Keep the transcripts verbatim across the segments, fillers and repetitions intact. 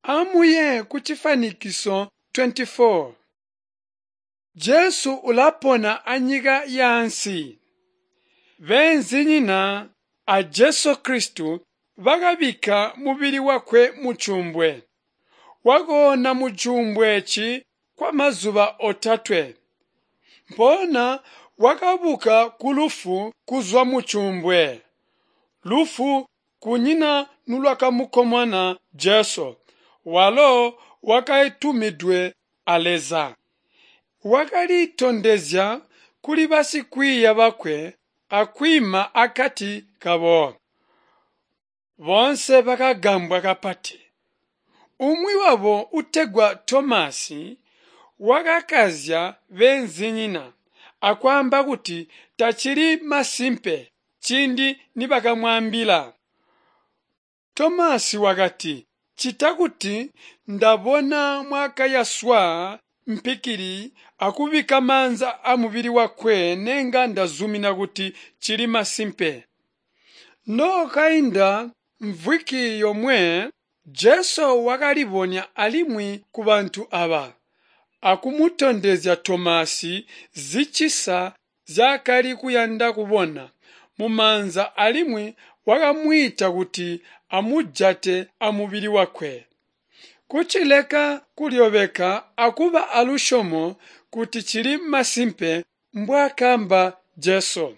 Amuye kucifwanikiso twenty four. Jesu ulapona anyika yaansi. Beenzinyina a Jesu Kristu bakabikka mubili wakwe mucuumbwe. Wakoona mucuumbwe eeci kwamazuba otatwe. Mpoona wakabuka kulufu kuzwa mucuumbwe. Lufu kunyina nulwakamukomona Jesu, walo wakatumidwe a Leza. Wakalitondezya kuli basikwiiya bakwe akwiima akati kabo. Boonse bakagambwa kapati. Umwi wabo utegwa Tomasi wakakazya beenzinyina akwaamba kuti tacili masimpe ciindi nibakamwaambila. Tomasi wakati, "Ccita kuti ndabona mwakayaswa mpikili akubikka maanza amubili wakwe nenga ndazumina kuti cili masimpe." Nokwakainda mvwiki yomwe, Jesu wakalibonya alimwi kubantu aaba, akumutondezya Tomasi zicisa nzyaakali kuyanda kubona mumaanza alimwi wakamwiita kuti amujate amubili wakwe. Kucileka kulyobeka akuba alusyomo kuti cili masimpe mbwaakaamba Jesu.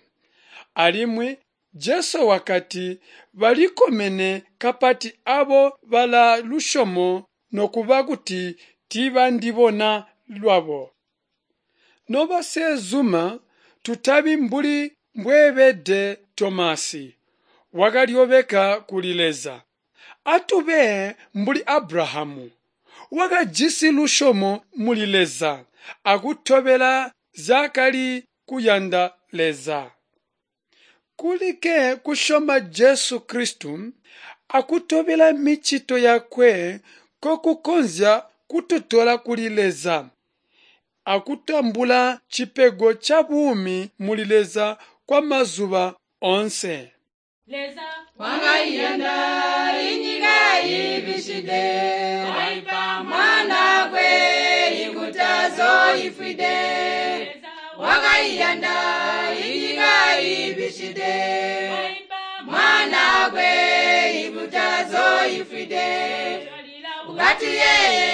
Alimwi Jesu wakati balikkomene kapati aabo balaa lusyomo nokuba kuti tiibandibona lwabo. Nobaseezuma, tutabi mbuli mbweebede Tomasi, wakalyobeka kuli Leza. Atube mbuli Abrahamu, wakajisi lusyomo muli Leza akutobela nzyaakali kuyanda Leza. Kulikke kusyoma Jesu Kristu akutobela micito yakwe nkokukonzya kututola kuli Leza akutambula cipego cabuumi muli Leza kwamazuba oonse. Leza Wakaiyanda inyika ibishide, waipa Mwanakwe ikutazoifwide. Leza Wakaiyanda inyika ibishide, waipa Mwanakwe ikutazoifwide. Twalila Ukati yeye,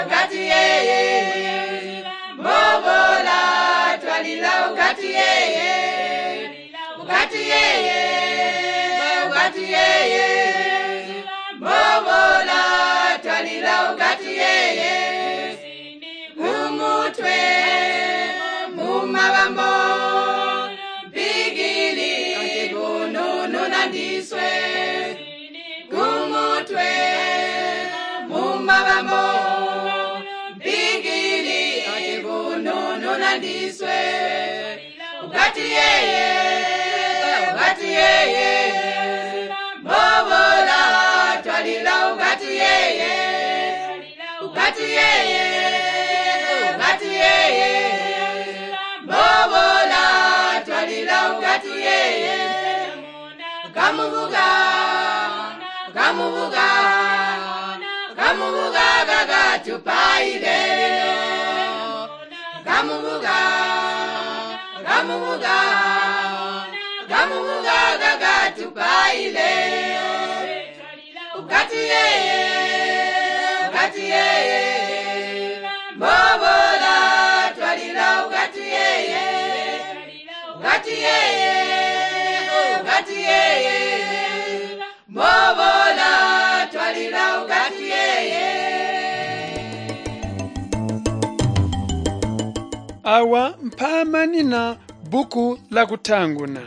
ukati yeye, mbobola twalila ukati yeye, ukati yeye, ukati yeye, mbobola twalila ukati yeye, mumutwe mumabambo mpigili kununu ndiswe kumutwe mumabambo mpigili kununu ndiswe ukati yeye ukati yeye mbobola twalila ukati yeye ukati yeye ukati yeye mbobola twalila ukati yeye kamubuga kamubuga kamubuga kakatupaile kamubuga kamubuga kamubuga kakatupaile ukati yeye ukati yeye mbobola twalila ukati yeye ukati yeye ukati yeye mbobola twalila ukati yeye. Awa mpaamanina buku la kutanguna.